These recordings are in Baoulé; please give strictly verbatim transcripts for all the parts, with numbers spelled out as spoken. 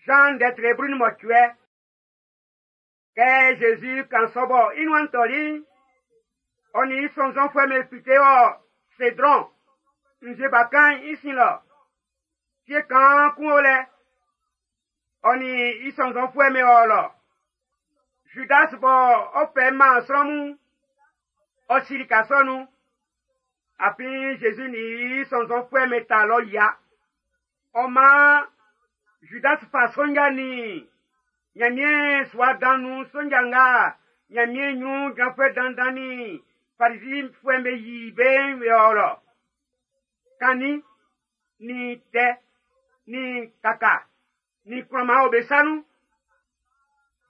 Jean ndɛtre blu nin mɔcuɛ. Kɛ Jésus kan sɔ bɔ i nuan tɔli'n, ɔ nin i sɔnnzɔnfuɛ'm be fite ɔ Cédron, nzue bakan'n i sin lɔ. Fie kaan kun o lɛ, ɔ nin i sɔnnzɔnfuɛ'm be ɔ lɔ. Judas bɔ ɔ fɛ man sran mun, ɔ si lika sɔ nun. Afin Jésus nin i sɔnnzɔnfuɛ'm be ta lɔ yia. Ɔ maan Judas fa sonja nin Ɲanmiɛn sua dan nun sonja nga Ɲanmiɛn ɲrun jranfuɛ dandan nin Farizifuɛ'm be yi be'n be ɔ lɔ. Kannin nin tɛ nin kaka nin kplɔman o be sa nun.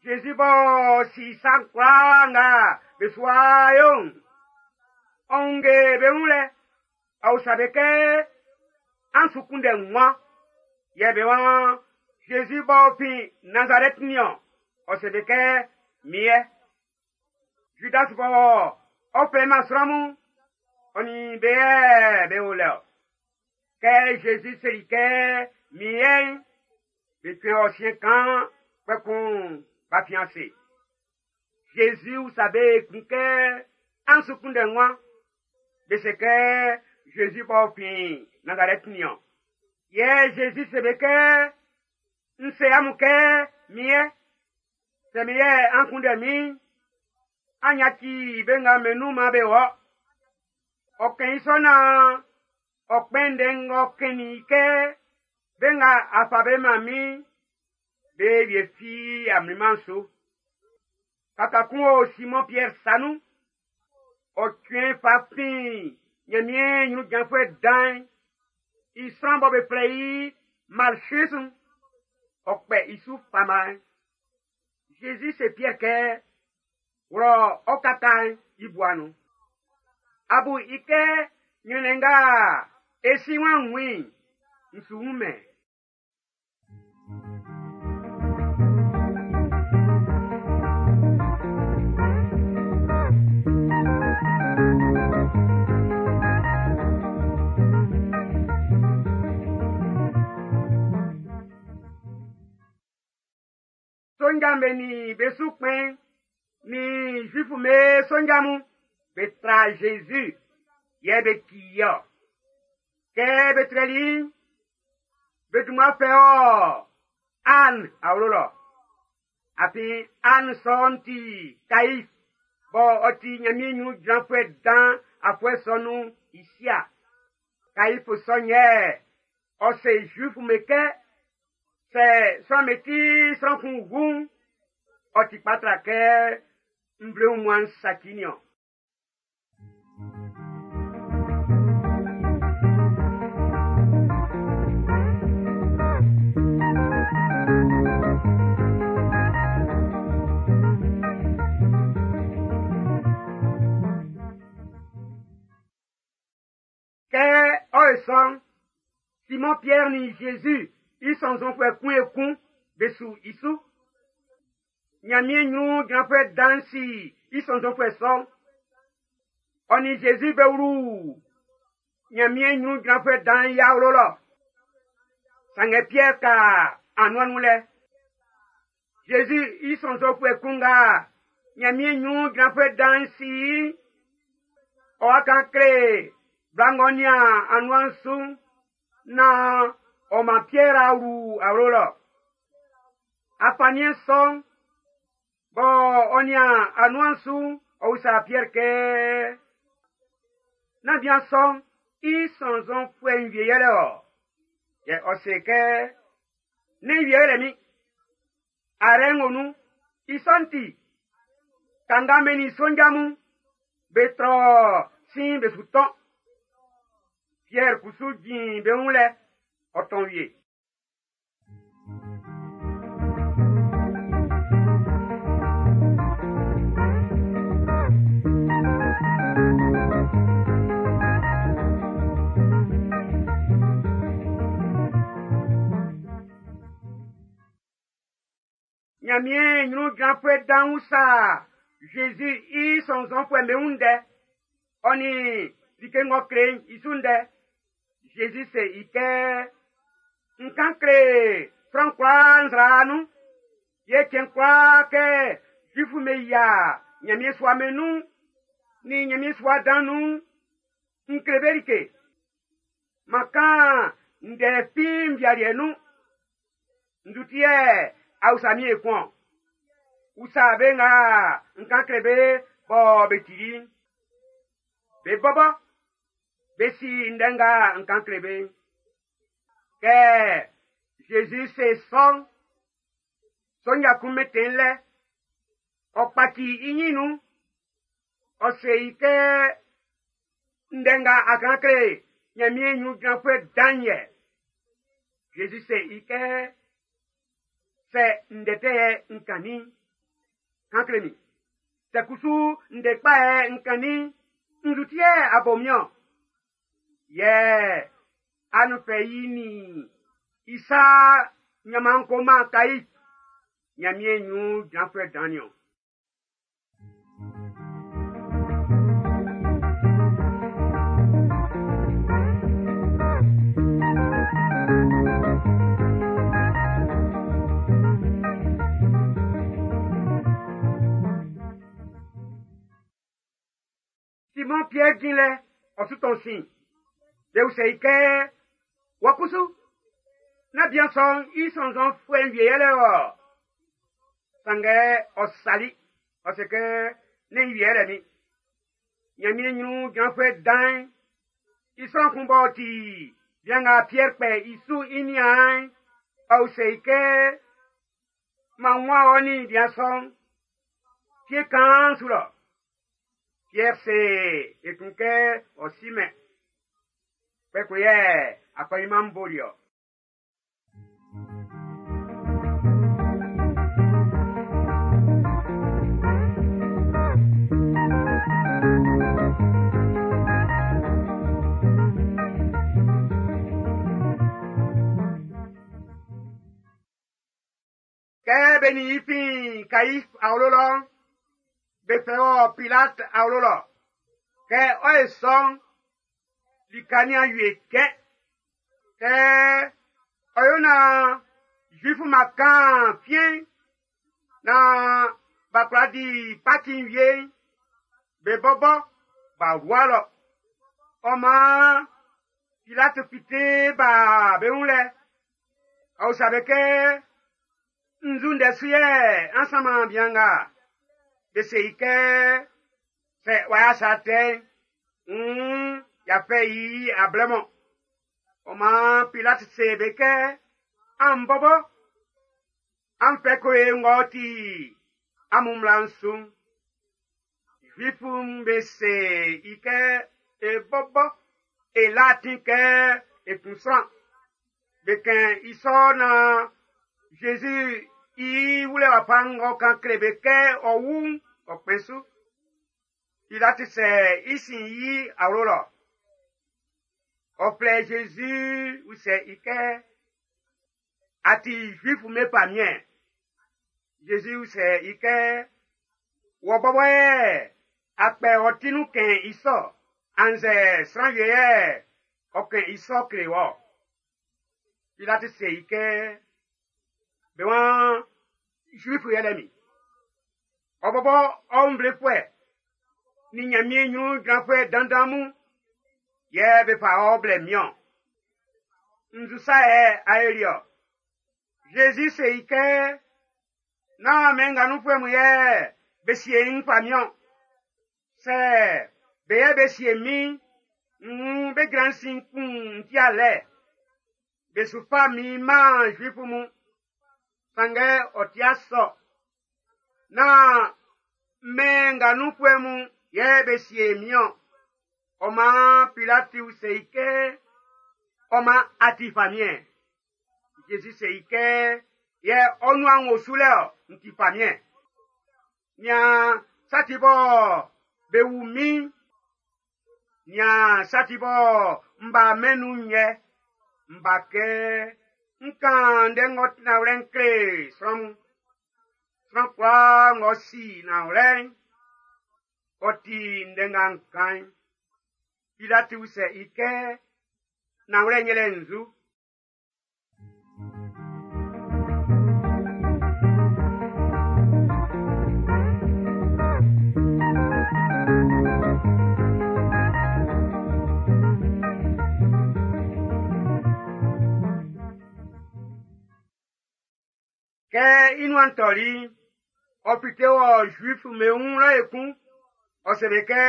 Jésus b'ɔ si sa kwlaa nga be su wa yo'n, ɔ wunnge be wun lɛ, ɔ usa be kɛ, an su kunndɛ wan? Yɛ be waan, Jésus b'ɔ fin Nazarɛti niɔn. Ɔ se be kɛ, min yɛ. Judas bɔ ɔ fɛ man sran mun, ɔ nin be yɛ be o lɛ ɔ. Kɛ Jésus seli kɛ, min yɛ'n, be cuɛn ɔ siɛn kan, kpɛkun b'a fi ase. Jésus usa be kun kɛ, an su kunndɛ wan? Be se kɛ, Jésus b'ɔ fin Nazarɛti niɔn. Yɛ Jésus se be kɛ, n se amun kɛ, min yɛ. Sɛ min yɛ an kunndɛ min, an yaci be nga be nun-man be wɔ. Ɔ kɛn i sɔ naan ɔ kpɛn ndɛ ng'ɔ kɛnnin i kɛ, be nga a fa be man min, be wie fi amliman su. Kaka kun o Simon Pierre sa nun. Ɔ cuɛn fa fin Ɲanmiɛn ɲrun jranfuɛ dan'n i sran bɔ be flɛ i Malchus, ɔ kpɛ i su fama'n. Jésus se Pierre kɛ, wlɔ ɔ kaka'n i bua nun. Abu i kɛ ɲrɛnnɛn nga e si wan wun i'n, n su wun-mɛn. Sonja be ni be su kpɛn ni Juifu me sonja mun be tra Jésus yɛ be ki i-ɔ. Kɛ be trɛli i'n, be dunman fɛ ɔ Anne awlo lɔ. Afin Anne sɔ'n ti Kaif bɔ ɔ ti Ɲanmiɛn ɲrun jranfuɛ dan afuɛ sɔ nun i sia. Kaif sɔ'n yɛ ɔ se Juifu me kɛ, sɛ sran me ti sran kun wu'n, ɔ ti kpa tra kɛ nvle wunmuan'n saci niɔn. Kɛ ɔ ye sɔ'n, Simon Pierre ni Jésus i sɔnnzɔnfuɛ kun ekun be su i su. Ɲanmiɛn ɲrun jranfuɛ dan'n si i sɔnnzɔnfuɛ sɔ'n. Ɔ nin Jésus be wlu Ɲanmiɛn ɲrun jranfuɛ dan'n i awlo lɔ. Sanngɛ Pierre ka anuan nun lɛ. Jésus i sɔnnzɔnfuɛ kun nga Ɲanmiɛn ɲrun jranfuɛ dan'n si i'n, ɔ wa kan kle bla ng'ɔ nian anuan'n su'n naan ɔ man Pierre a wlu awlo lɔ. Afanniɛn sɔ'n, bɔ ɔ nian anuan'n su'n, ɔ usa Pierre kɛ, nán bian sɔ'n i sɔnnzɔnfuɛ'n wie yɛlɛ ɔ? Yɛ ɔ se kɛ, ne wie yɛlɛ min. Arɛ ŋo nun, i sɔ'n ti, kanga be nin sonja mun, be trɔ sin be su tɔn. Pierre kusu jin be wun lɛ, ɔ tɔn wie. Ɲanmiɛn ɲrun jranfuɛ dan'n usa Jésus i sɔnnzɔnfuɛ'm be wun ndɛ, ɔ nin like ng'ɔ kle'n i su ndɛ. Jésus se i kɛ, n kan kle Sran kwlaa nzra nun. Yɛ cɛn kwlaa kɛ Zuifu be yia Ɲanmiɛn sua be nun ni Ɲanmiɛn sua dan nun n kle be like. M'an kan ndɛ fi nvialiɛ nun. Nzu ti yɛ a usa min ekun-ɔn? Usa be nga n kan kle be bɔ be tili'n. Be bɔbɔ, be si ndɛ nga n kan kle be'n. Kɛ Zezi se sɔ'n, sonja kun mɛntɛn lɛ, ɔ kpaci i nyin nun, ɔ se i kɛ ndɛ nga a kan kle Ɲanmiɛn ɲrun jranfuɛ dan'n yɛ. Zezi se i kɛ sɛ ndɛ tɛ yɛ n kannin'n, kan kle min. Sɛ kusu ndɛ kpa yɛ n kannin'n, nzu ti yɛ a bo min-ɔn? Yɛ anu fɛ i nin i sa ɲanman ko man Kaif, Ɲanmiɛn ɲrun jranfuɛ dan'n niɔn. Simon Pierre jin lɛ, ɔ su tɔn sin. Be usɛ i kɛ, wɔ kusu, na bian sɔ'n i sɔnnzɔnfuɛ'n wie yɛlɛ wɔ. Sanngɛ ɔ sali, ɔ se kɛ, ne i wie yɛlɛ min. Ɲanmiɛn ɲrun jranfuɛ dan'n, i sran kun b'ɔ ti bian nga Pierre kpɛ i su i niaan'n, ɔ usɛ i kɛ, m'an wun ɔ nin bian sɔ'n, fie kaan su lɔ. Pierre se ekun kɛ ɔ si mɛn. Kpɛkun yɛ akɔɲinman'n boli ɔ. Kɛ be nin i fin Kaif awlo lɔ'n, be fɛ wɔ Pilate awlo lɔ. Kɛ ɔ ye sɔ'n, lika ni awie kɛ. Kɛ ɔ yo na Zuifu ma kan fiɛn na b'a kwla di Paki'n wie'n, be bɔbɔ b'a wua lɔ. Ɔ maan Pilate fite ba be wun lɛ. Ɔ usa be kɛ, nzu ndɛ su yɛ an sanman bian nga? Be se i kɛ, sɛ w'a sa tɛ'n, mm, y'a fɛ i ablɛ mɔ. Ɔ maan Pilate se be kɛ, an bɔbɔ, an fɛ ko e ng'ɔ ti amun mmla'n su'n. Zuifu'm be se i kɛ, e bɔbɔ, e la atin kɛ e kun sran. Be kɛn i sɔ na Zezi i wulɛ wafa ng'ɔ kan kle be kɛ ɔ wu'n, ɔ kpɛn su. Pilate sɛ i sin yi awlo lɔ. Ɔ flɛ Zezi usɛ i kɛ, a ti Zuifu be famiɛn. Zezi usɛ i kɛ, wɔ bɔbɔ yɛ a kpɛ ɔ ti nun kɛn i sɔ, annzɛ sran wie yɛ ɔ kɛn i sɔ kle wɔ. Pilate se i kɛ, be waan Zuifu yɛlɛ min. Ɔ bɔbɔ ɔ nvlefuɛ ni Ɲanmiɛn ɲrun jranfuɛ dandan mun yɛ be fa ɔ blɛ min-ɔn. Nzu sa yɛ a yoli ɔ? Zezi se i kɛ, nán mɛn nga nunfuɛ mun yɛ be sie n famiɛn. Sɛ be yɛ be sie min, n be jran sin kun n ti alɛ. Be su fa min man Zuifu mun. Sanngɛ ɔ ti asɔ. Nán mɛn nga nunfuɛ mun yɛ be sie min-ɔn. Ɔ maan Pilati se i kɛ, ɔ maan a ti famiɛn. Zezi se i kɛ, yɛ ɔ nuan wo su lɛ ɔ, n ti famiɛn. Nian sa ti bɔ be wu min, nian sa ti bɔ n ba mɛn nun yɛ, n ba kɛ n kan ndɛ ng'ɔ ti nanwlɛ'n kle sran mun. Sran kwlaa ng'ɔ si nanwlɛ'n, ɔ ti ndɛ nga n kan'n. Pilati usɛ i kɛ, nanwlɛ'n yɛlɛ nzu? Kɛ i nuan tɔli, ɔ fite wɔ Zuif be wun lɔ ekun. Ɔ se be kɛ,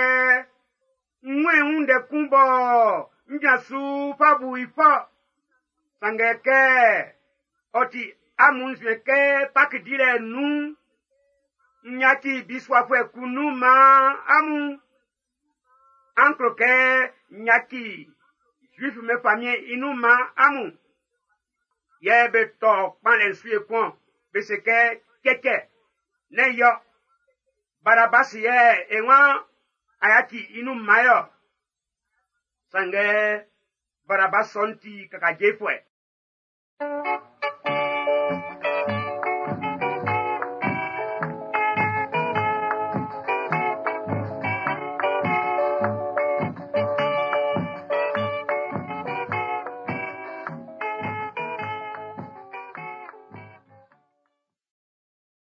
n wun ndɛ kun bɔ n jran su fa bu i fɔ. Sanngɛ kɛ ɔ ti amun nzuɛn kɛ Paki dilɛ nun'n, n yaci bisuafuɛ kun nun man amun. An klo kɛ n yaci Zuif be famiɛn i nun man amun. Yɛ be tɔ kpanlɛ su ekun, be se kɛ cɛcɛ, nɛ́n i-ɔ. Barabasi yɛ e waan a yaci i nun man ye-ɔ. Sanngɛ Barabas sɔ'n ti kakajefuɛ.